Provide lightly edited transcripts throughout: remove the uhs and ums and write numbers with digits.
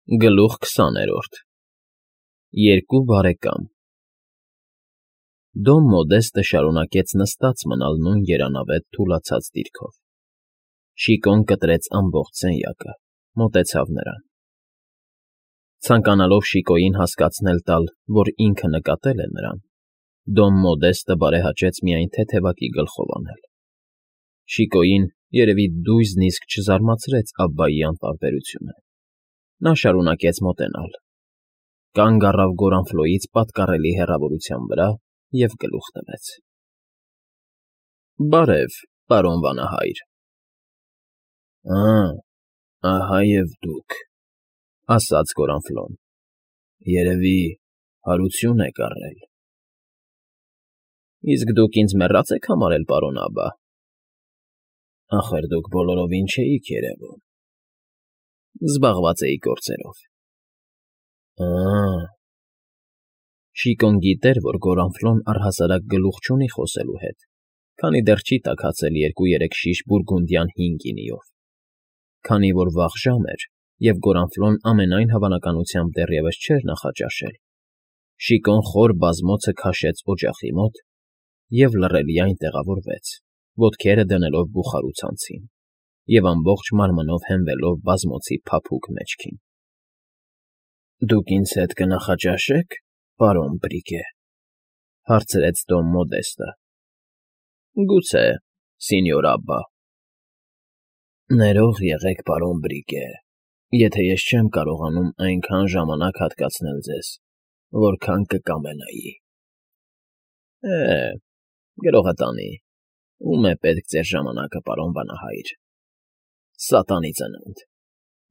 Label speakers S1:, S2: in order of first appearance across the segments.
S1: Գլուխ 20-րդ Երկու բարեկամ Դոն Մոդեստը շարունակեց նստած մնալ նույն երանավետ թուլացած դիրքով։ Շիկոն կտրեց ամբողջ սենյակը, մոտեցավ նրան։ Ցանկանալով Շիկոյին հասկացնել տալ, որ ինքը նկատել է նրան, Դոն Մոդեստը բարեհաճեց միայն թեթևակի գլխով անել։ Շիկոյին, երևի, դույզնիսկ չզարմացրեց Աբբայի անտարբերությունը։ Նա շարունակեց մոտենալ, կանգ առավ Գորանֆլոյից պատկառելի հեռավորության վրա և գլուխ տվեց։ ֊ Բարև, պարոն վանահայր։ ֊ Ահա և դուք, ֊ ասաց Գորանֆլոն, ֊ երևի հարություն եք առել։ ֊ Իսկ դուք ինձ մեռյա՞ծ եք համարել, պարոն Աբբա։ ֊ Ախր դուք բոլորովին չէիք երևում։ ֊ Զբաղված էի գործերով։ ֊ Շիկոն գիտեր, որ Գորանֆլոն առհասարակ գլուխ չունի խոսելու հետ, քանի դեռ չի տաքացել 2-3 շիշ բուրգունդյան հին գինիով։ Քանի որ վաղ ժամ էր, և Գորանֆլոն ամենայն հավանականությամբ դեռևս չէր նախաճաշել, Շիկոն խոր բազմոցը քաշեց օջախի մոտ և լռելիայն տեղավորվեց, ոտքերը դնելով բուխարու ցանցին և ամբողջ մարմնով հենվելով բազմոցի փափուկ մեջքին։ ֊ Դուք ինձ հետ կնախաճաշե՞ք, պարոն Բրիգե,֊ հարցրեց Դոն Մոդեստը։ ֊ Գուցե, սենյոր Աբբա։ ֊ Ներող եղեք, պարոն Բրիգե, եթե ես չեմ կարողանում այնքան ժամանակ հատկացնել ձեզ, որքան կկամենայի։ ֊ Գրողը տանի, ո՞ւմ է պետք ձեր ժամանակը, պարոն վանահայր։ Սատանի ծնունդ,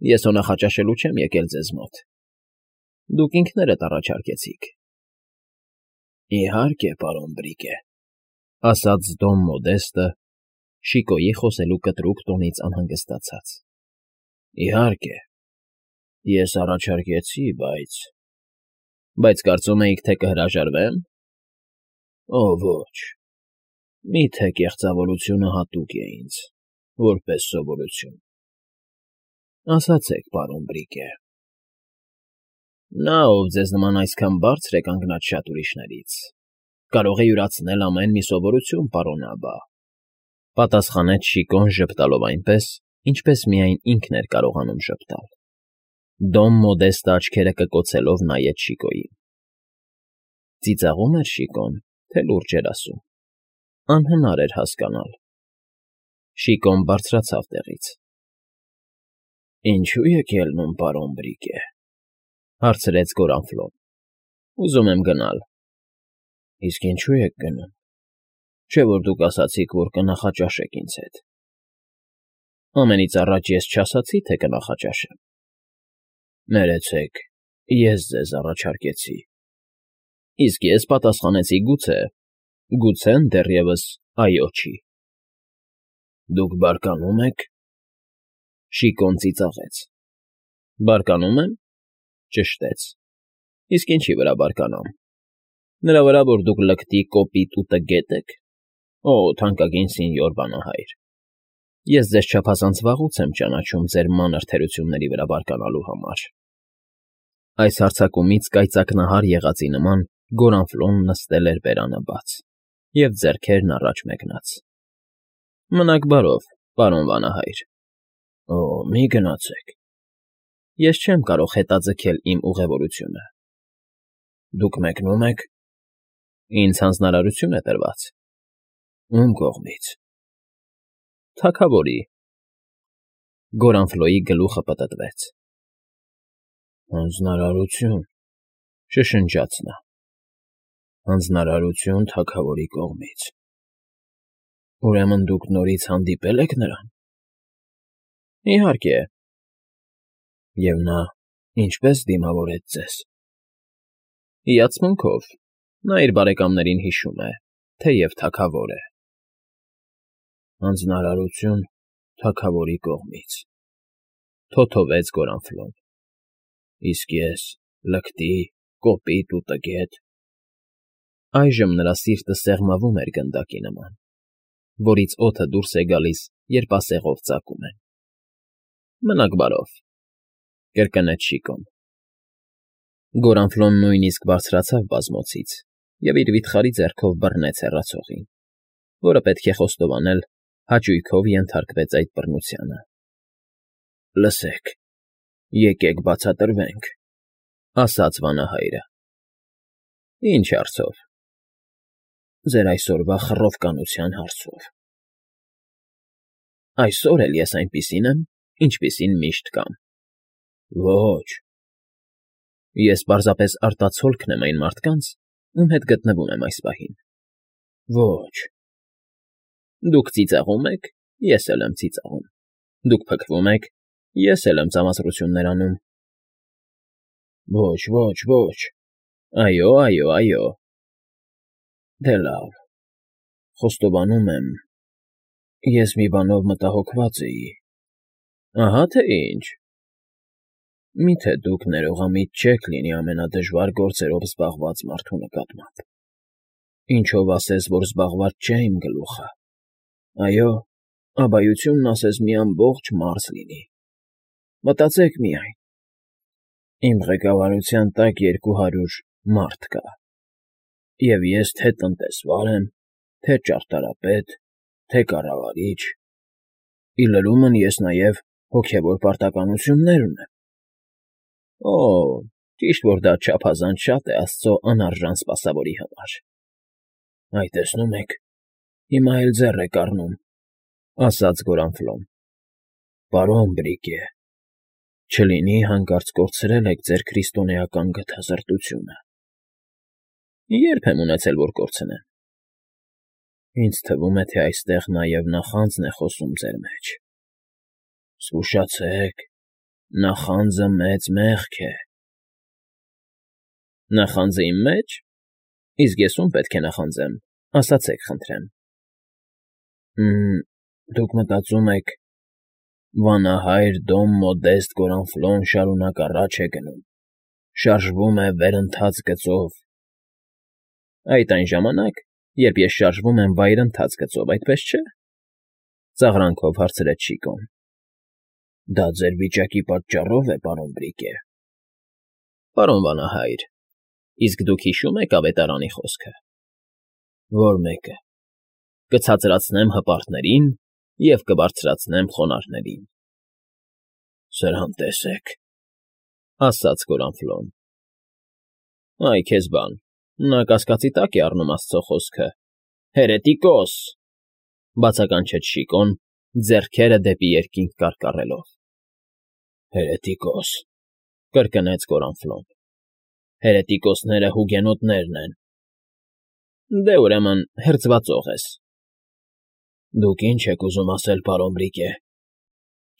S1: ես հո նախաճաշելու չեմ եկել ձեզ մոտ։ Դուք ինքներդ առաջարկեցիք։ ֊ Իհարկե, պարոն Բրիգե,֊ ասաց Դոն Մոդեստը, Շիկոյի խոսելու կտրուկ տոնից անհանգստացած։ ֊ Իհարկե, ես առաջարկեցի, բայց… ֊ Բայց կարծում էիք, թե կհրաժարվե՞մ։ ֊ Օ, ոչ, միթե կեղծավորությունը հատուկ է ինձ, որպես սովորություն։ ֊ Ասացեք, պարոն Բրիգե։ ֊ Նա, ով ձեզ նման այսքան բարձր է կանգնած շատ ուրիշներից, կարող է յուրացնել ամեն մի սովորություն, պարոն Աբբա,֊ պատասխանեց Շիկոն ժպտալով այնպես, ինչպես միայն ինքն էր կարողանում ժպտալ։ Դոն Մոդեստը աչքերը կկոցելով նայեց Շիկոյին։ Ծիծաղո՞ւմ էր Շիկոն, թե լուրջ էր ասում։ Անհնար էր հասկանալ։ Շիկոն բարձրացավ տեղից։ ֊ Ինչո՞ւ եք ելնում, պարոն Բրիգե,֊ հարցրեց Գորանֆլոն։ ֊ Ուզում եմ գնալ։ ֊ Իսկ ինչո՞ւ եք գնում։ Չէ՞ որ դուք ասացիք, որ կնախաճաշեք ինձ հետ։ ֊ Ամենից առաջ ես չասացի, թե կնախաճաշեմ։ ֊ Ներեցեք, ես ձեզ առաջարկեցի։ ֊ Իսկ ես պատասխանեցի գուցե, գուցեն դեռևս այո չի։ ֊ Դուք բարկանում եք։ Շիկոն ծիծաղեց։ ֊ Բարկանում եմ, ճշտեց։ Իսկ ինչի վրա բարկանամ։ Նրա վրա, որ դուք լկտի, կոպիտ ու տգե՞տ եք։ Օ, թանկագին սենյոր վանահայր, ես ձեզ չափազանց վաղուց եմ ճանաչում ձեր մանր թերությունների վրա բարկանալու համար։ Այս հարձակումից կայծակնահար եղածի նման Գորանֆլոն նստել էր բերանը բաց և ձեռքերն առաջ մեկնած։ ֊ Մնաք բարով, պարոն վանահայր։ ֊ Օ, մի գնացեք։ Ես չեմ կարող հետաձգել իմ ուղևորությունը։ ֊ Դուք մեկնո՞ւմ եք։ ֊ Ինձ հանձնարարություն է տրված։ ֊ Ո՞ւմ կողմից։ ֊ Թագավորի։ Գորանֆլոյի գլուխը պտտվեց։ ֊ Հանձնարարություն,֊ շշնջաց նա,֊ հանձնարարություն թագավորի կողմից… Ուրեմն դուք նորից հանդիպե՞լ եք նրան։ ֊ Իհարկե։ ֊ Եվ նա ինչպե՞ս դիմավորեց ձեզ։ ֊ Հիացմունքով, նա իր բարեկամներին հիշում է, թեև թագավոր է։ ֊ Հանձնարարություն թագավորի կողմից…֊ թոթովեց Գորանֆլոն։ ֊ Իսկ ես լկտի, կոպիտ ու տգետ… Այժմ նրա սիրտը սեղմվում էր գնդակի նման, որից օդը դուրս է գալիս, երբ ասեղով ծակում են։ ֊ Մնաք բարով։ կրկնեց Շիկոն։ Գորանֆլոն նույնիսկ բարձրացավ բազմոցից և իր վիթխարի ձեռքով բռնեց հեռացողին, որը, պետք է խոստովանել, հաճույքով ենթարկվեց այդ բռնությանը։ ֊ Լսեք, եկեք բացատրվենք,֊ ասաց վանահայրը։ ֊ Ինչ հարցով։ ֊ Ձեր այսօրվա խռովկանության հարցով։ ֊ Այսօր էլ ես այնպիսին եմ, ինչպիսին միշտ կամ։ ֊ Ոչ։ ֊ Ես պարզապես արտացոլքն եմ այն մարդկանց, ում հետ գտնվում եմ այս պահին։ ֊ Ոչ։ ֊ Դուք ծիծաղում եք, ես էլ եմ ծիծաղում, դուք փքվում եք, ես էլ եմ ծամացրություններ անում։ ֊ Ոչ, այո, այո։ ֊ Դե լավ, խոստովանում եմ, ես մի բանով մտահոգված էի։ ֊ Ահա թե ինչ։ ֊ Մի՞թե դուք ներողամիտ չեք լինի ամենադժվար գործերով զբաղված մարդու նկատմամբ։ Ինչով ասես, որ զբաղված չէ իմ գլուխը։ Այո, աբայությունն ասես մի ամբողջ մարզ լինի։ Մտածեք միայն. իմ ղեկավարության տակ 200 մարդ կա, և ես թե տնտեսվար եմ, թե ճարտարապետ, թե կառավարիչ, ի լրումն ես նաև հոգևոր պարտականություններ ունեմ։ Օ, ճիշտ որ դա չափազանց շատ է աստծո անարժան սպասավորի համար։ ֊ Այ տեսնում եք, հիմա էլ ձեռ եք առնում,֊ ասաց Գորանֆլոն։ ֊ Պարոն Բրիկե, չլինի հանկարծ կորցրել եք ձեր քրիստոնեական գթասրտությունը։ ֊ Երբ եմ ունեցել, որ կորցնեմ։ ֊ Ինձ թվում է, թե այստեղ նաև նախանձն է խոսում ձեր մեջ։ ֊ Զգուշացեք, նախանձը մեծ մեղք է։ ֊ Նախանձը իմ մեջ։ Իսկ ես ում պետք է նախանձեմ, ասացեք խնդրեմ։ ֊ Դուք մտածում եք, վանահայր Դոն Մոդեստ Գորանֆլոն շարունակ առաջ է գնում, շարժվում է վերընթաց գծով։ ֊ Այդ այն ժամանակ, երբ ես շարժվում եմ վայրընթաց գծով, այդպես չէ՞, ծաղրանքով հարցրեց Շիկոն։ ֊ Դա ձեր վիճակի պատճառով է, պարոն Բրիկե։ ֊ Պարոն վանահայր, իսկ դուք հիշո՞ւմ եք ավետարանի խոսքը։ ֊ Ո՞ր մեկը։ ֊ Կցածրացնեմ հպարտներին և կբարձրացնեմ խոնարհներին։ ֊ Սրան տեսեք,֊ ասաց Գորանֆլոն։ ֊ Այ քեզ բան, նա կասկածի տակ է առնում աստծո խոսքը։ Հերետիկոս,֊ բացականչեց Շիկոն, ձեռքերը դեպի երկինք կարկառելով։ ֊ Հերետիկոս,֊ կրկնեց Գորանֆլոն։ ֊ Հերետիկոսները հուգենոտներն են։ ֊ Դե, ուրեմն, հերձվածող ես։ ֊ Դուք ինչ եք ուզում ասել, պարոն Բրիկե։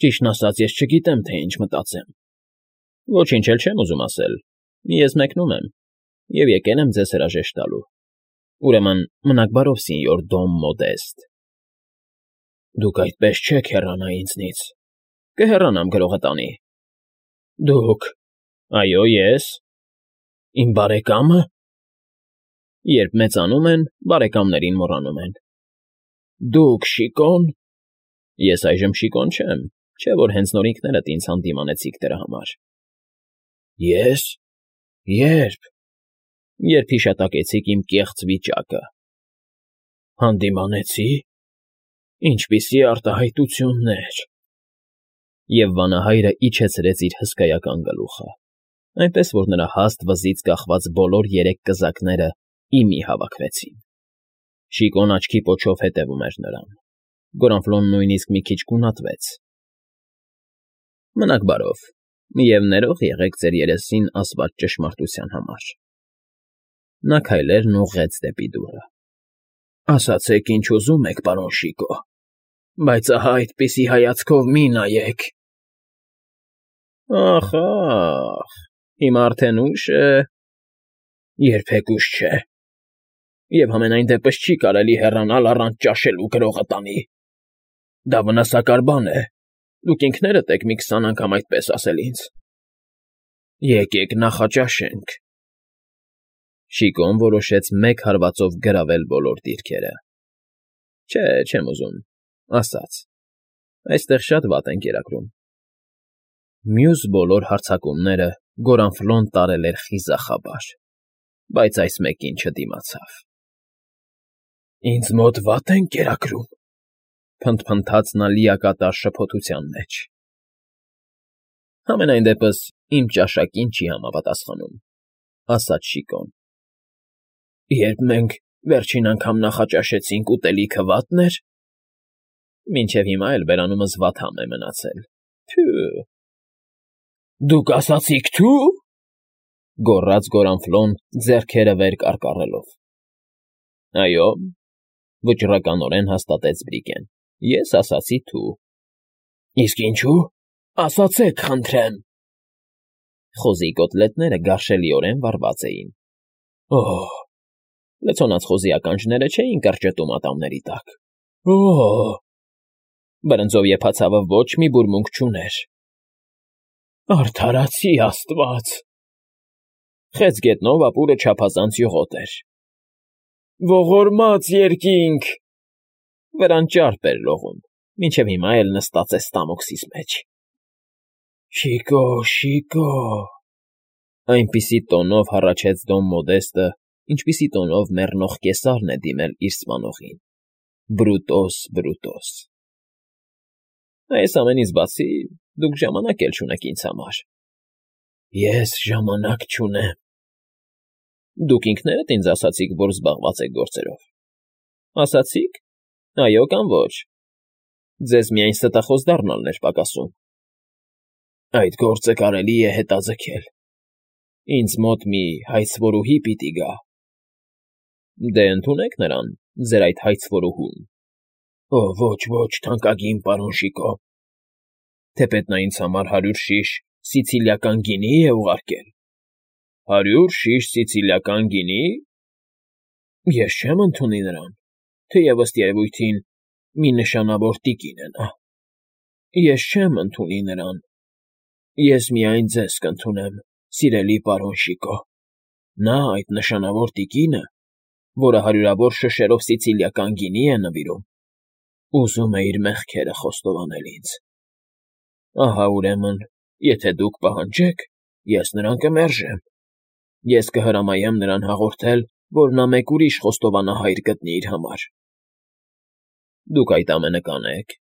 S1: Ճիշտն ասած, ես չգիտեմ, թե ինչ մտածեմ։ ֊ Ոչինչ էլ չեմ ուզում ասել, ես մեկնում եմ և եկել եմ ձեզ հրաժեշտ տալու։ Ուրեմն, մնաք բարով, սենյոր Դոն Մոդեստ։ ֊ Դուք այդպես չեք հեռանա ինձնից։ ֊ Կհեռանամ, գրողը տանի։ ֊ Դուք… Այո, ես… Իմ բարեկա՞մը… Երբ մեծանում են, բարեկամներին մոռանում են։ ֊ Դուք Շիկո՞ն… Ես այժմ Շիկոն չեմ, չէ՞ որ հենց նոր ինքներդ ինձ հանդիմանեցիք դրա համար։ ֊ Ե՞ս… Ե՞րբ… Երբ հիշատակեցիք իմ կեղծ վիճակը։ ֊ Հանդիմանեցի… Ինչպիսի արտահայտություններ… Եվ վանահայրը իջեցրեց իր հսկայական գլուխը, այնպես որ նրա հաստ վզից կախված բոլոր 3 կզակները ի մի հավաքվեցին։ Շիկոն աչքի պոչով հետևում էր նրան։ Գորանֆլոն նույնիսկ մի քիչ գունատվեց։ ֊ Մնաք բարով և ներող եղեք ձեր երեսին ասված ճշմարտության համար։ Նա քայլերն ուղղեց դեպի դուռը։ ֊ Ասացեք, ինչ ուզում եք, պարոն Շիկո, բայց ահա այդպիսի հայացքով մի նայեք… Ախ, հիմա արդեն ուշ է… Երբեք ուշ չէ… Եվ համենայն դեպս չի կարելի հեռանալ առանց ճաշելու, գրողը տանի… Դա վնասակար բան է, դուք ինքներդ եք մի 20 անգամ այդպես ասել ինձ… Եկեք նախաճաշենք… Շիկոն որոշեց մեկ հարվածով գրավել բոլոր դիրքերը։ ֊ Չէ, չեմ ուզում,֊ ասաց,֊ այստեղ շատ վատ են կերակրում։ Մյուս բոլոր հարձակումները Գորանֆլոն տարել էր խիզախաբար, բայց այս մեկին չդիմացավ։ ֊ Ինձ մոտ վատ են կերակրում,֊ փնթփնթաց նա լիակատար շփոթության մեջ։ ֊ Համենայն դեպս իմ ճաշակին չի համապատասխանում,֊ ասաց Շիկոն։ ֊ Երբ մենք վերջին անգամ նախաճաշեցինք, ուտելիքը վատն էր։ ֊ Մինչև հիմա էլ բերանումս վատ համ է մնացել, թյո՛ւ… Դուք ասացիք թո՞ւ,֊ գոռաց Գորանֆլոն ձեռքերը վեր կարկառելով։ ֊ Այո,֊ վճռականորեն հաստատեց Բրիկեն,֊ ես ասացի թու։ ֊ Իսկ ինչո՞ւ, ասացեք, խնդրեմ։ Խոզի կոտլետները գարշելիորեն վառված էին։ ֊ Օ՜հ… Լցոնած խոզի ականջները չէին կրճտում ատամների տակ։ ֊ Օ՜հ… Բրնձով եփած հավը ոչ մի բուրմունք չուներ։ ֊ Արդարացի աստված… Խեց գետնով ապուրը չափազանց յուղոտ էր։ ֊ Ողորմած երկինք… Վրան ճարպ էր լողում, մինչև հիմա էլ նստած է ստամոքսիս մեջ։ ֊ Շիկո՜, Շիկո՜… Այնպիսի տոնով հառաչեց Դոն Մոդեստը, ինչպիսի տոնով մեռնող կեսարն է դիմել իր սպանողին. Բրուտոս, բրուտոս… Այս ամենից բացի, դուք ժամանակ էլ չունեք ինձ համար։ ֊ Ես ժամանակ չունեմ։ ֊ Դուք ինքներդ ինձ ասացիք, որ զբաղված եք գործերով։ ֊ Ասացի՞ք, այո կամ ոչ։ Ձեզ միայն ստախոս դառնալն էր պակասում։ ֊ Այդ գործը կարելի է հետաձգել։ Ինձ մոտ մի հայցվորուհի պիտի գա։ ֊ Դե ընդունեք նրան, ձեր այդ հայցվորուհուն։ ֊ Օ, ոչ, թանկագին պարոն Շիկո… Թեպետ նա ինձ համար 100 շիշ սիցիլիական գինի է ուղարկել։ ֊ 100 շիշ սիցիլիական գինի… Ես չեմ ընդունի նրան, թեև ըստ երևույթին մի նշանավոր տիկին է նա։ Ես չեմ ընդունի նրան… Ես միայն ձեզ կընդունեմ, սիրելի պարոն Շիկո… Նա, այդ նշանավոր տիկինը, որը հարյուրավոր շշերով սիցիլիական գինի է նվիրում, ուզում է իր մեղքերը խոստովանել ինձ։ Ահա, ուրեմն, եթե դուք պահանջեք, ես նրան կմերժեմ։ Ես կհրամայեմ նրան հաղորդել, որ նա մեկ ուրիշ խոստովանահայր գտնի իր համար։ Դուք այդ ամենը կանեք։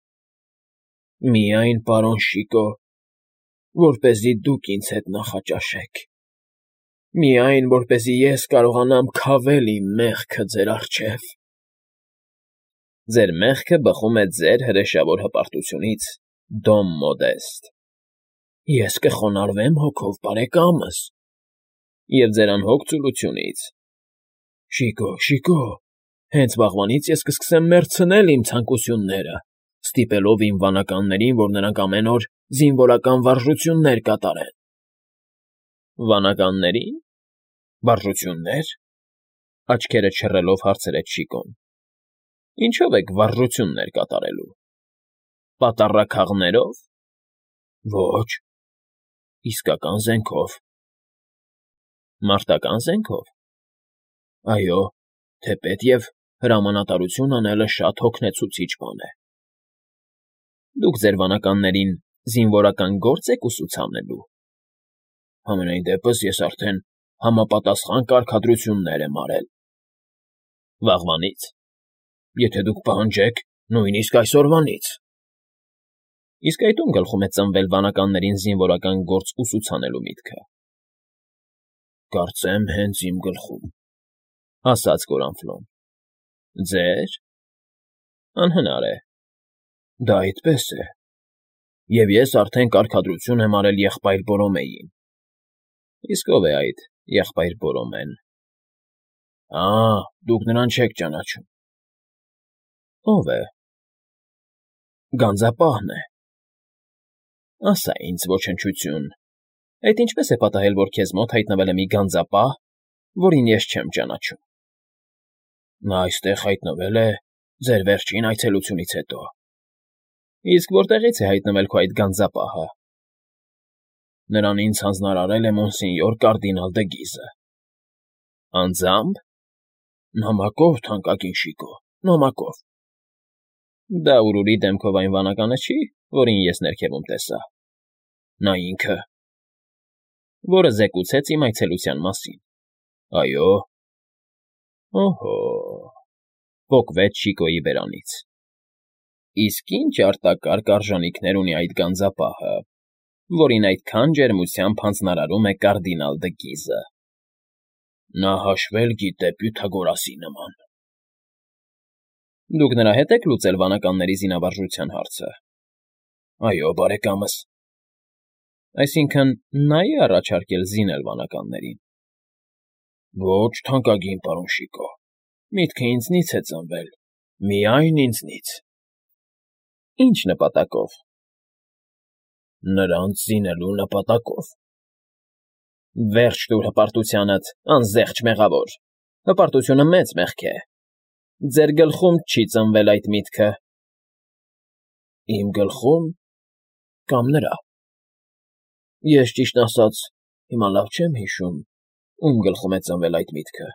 S1: Միայն, պարոն Շիկո, որպեսզի դուք ինձ հետ նախաճաշեք։ Միայն, որպեսզի ես կարողանամ քավել իմ մեղքը ձեր առջև։ Ձեր մեղքը բխում է ձեր հրեշավոր հպարտությունից, Դոն Մոդեստ։ Ես կխոնարհվեմ հոգով, բարեկամս։ Եվ ձեր անհոգ ծուլությունից։ Շիկո, հենց վաղվանից ես կսկսեմ մեռցնել իմ ցանկությունները, ստիպելով իմ վանականներին, որ նրանք ամեն օր զինվորական վարժություններ կատարեն։ Վանականների՞ն… Վարժություննե՞ր… Աչքերը չռելով հարցրեց Շիկոն։ Ինչո՞վ եք վարժություններ կատարելու։ Պատառաքաղներո՞վ։ Ոչ… Իսկական զենքով։ Մարտական զենքո՞վ։ Այո, թեպետ և հրամանատարություն անելը շատ հոգնեցուցիչ բան է։ Դուք ձեր վանականներին զինվորական գործ եք ուսուցանելու։ Համենայն դեպս ես արդեն համապատասխան կարգադրություններ եմ արել։ Վաղվանի՞ց։ Եթե դուք պահանջեք, նույնիսկ այսօրվանից։ Իսկ այդ ում գլխում է ծնվել վանականներին զինվորական գործ ուսուցանելու միտքը։ Կարծեմ հենց իմ գլխում, ասաց Գորանֆլոն։ Ձեր… Անհնար է։ Դա այդպես է։ Եվ ես արդեն կարգադրություն եմ արել եղբայր Բորոմեյին։ Իսկ ո՞վ է այդ եղբայր Բորոմեն։ Դուք նրան չեք ճանաչում։ Ո՞վ է։ Գանձապահն է։ Ասա ինձ, ոչնչություն, այդ ինչպես է պատահել, որ քեզ մոտ հայտնվել է մի գանձապահ, որին ես չեմ ճանաչում։ Նա այստեղ հայտնվել է ձեր վերջին այցելությունից հետո։ Իսկ որտեղից է հայտնվել քո այդ գանձապահը։ Նրան ինձ հանձնարարել է մոնսենյոր կարդինալ դը Գիզը։ Անձամբ։ Նամակով, թանկագին Շիկո, նամակով։ Դա ուրուրի դեմքով այն վանականը չի, որին ես ներքևում տեսա։ Նա ինքը։ Որը զեկուցեց իմ այցելության մասին։ Այո։ Օհո, պոկվեց Շիկոյի բերանից։ Իսկ ինչ արտակարգ արժանիքներ ունի այդ գանձապահը, որին այդքան ջերմությամբ հանձնարարում է կարդինալ Դգիզը։ Նա հաշվել գիտե Պյութագորասի նման։ Դուք նրա հետ եք լուծել վանականների զինավարժության հարցը։ Այո, բարեկամս։ Այսինքն, նա է առաջարկել զինել վանականներին։ Ոչ, թանկագին պարոն Շիկո, միտքը ինձնից է ծնվել, միայն ինձնից։ Ինչ նպատակով։ Նրանց զինելու նպատակով։ Վերջ տուր հպարտությանդ, անզեղչ մեղավոր, հպարտությունը մեծ մեղք է։ Ձեր գլխում չի ծնվել այդ միտքը։ Իմ գլխում կամ նրա։ Ես ճիշտն ասած, հիմա լավ չեմ հիշում, ում գլխում է ծնվել այդ միտքը,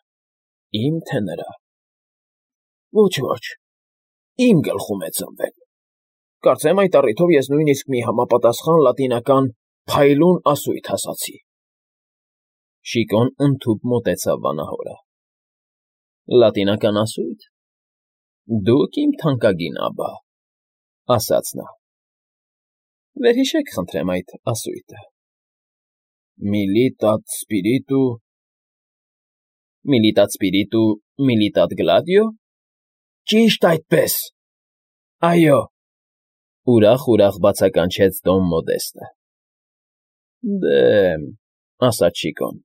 S1: իմ թե նրա։ Ոչ, իմ գլխում է ծնվել։ Կարծեմ այդ առիթով ես նույնիսկ մի համապատասխան լատինական փայլուն ասույթ ասացի։ Շիկոն ընդհուպ մոտեցավ վանահորը։ Լատինական ասույթ։ Դուք իմ թանկագին աբա, ասաց նա։ Վերհիշեք խնդրեմ այդ ասույթը։ Militat spiritu, militat gladio։ Ճիշտ այդպես։ Այո։ Ուրախ բացականչեց Դոն Մոդեստը։ Դե, ասաց Շիկոն,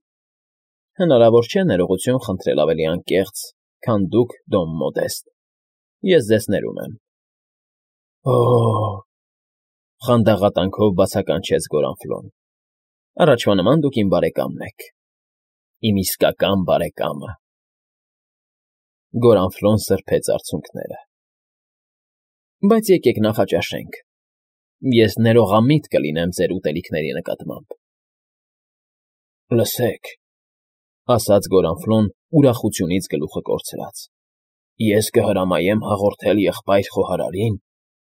S1: հնարավոր չէ ներողություն խնդրել ավելի անկեղծ, քան դուք, Դոն Մոդեստ։ Ես ձեզ ներում եմ։ Օ՜, խանդաղատանքով բացականչեց Գորանֆլոն։ Առաջվա նման դուք իմ բարեկամն եք։ Իմ իսկական բարեկամը։ Գորանֆլոն սրբեց արցունքները։ Բայց եկեք նախաճաշենք։ Ես ներողամիտ կլինեմ ձեր ուտելիքների նկատմամբ։ Լսեք, ասաց Գորանֆլոն ուրախությունից գլուխը կորցրած։ Ես կհրամայեմ հաղորդել եղբայր խոհարարին,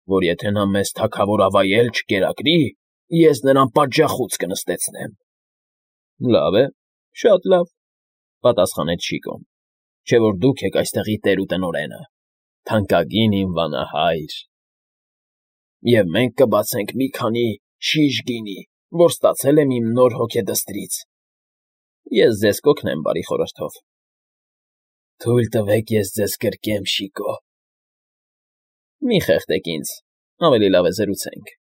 S1: որ եթե նա մեզ թագավորավայել չկերակրի, ես նրան պատժախոց կնստեցնեմ։ Լավ է, շատ լավ, պատասխանեց Շիկոն, չէ որ դուք եք այստեղի տեր ու տնօրենը, թանկագին իմ վանահայր։ Եվ մենք կբացենք մի քանի շիշ գինի, որ ստացել եմ իմ նոր հոգեդստրից։ Ես ձեզ կօգնեմ բարի խորհրդով։ Թույլ տվեք ես ձեզ գրկեմ, Շիկո։ Մի խեղդեք ինձ, ավելի լավ է զրուցենք։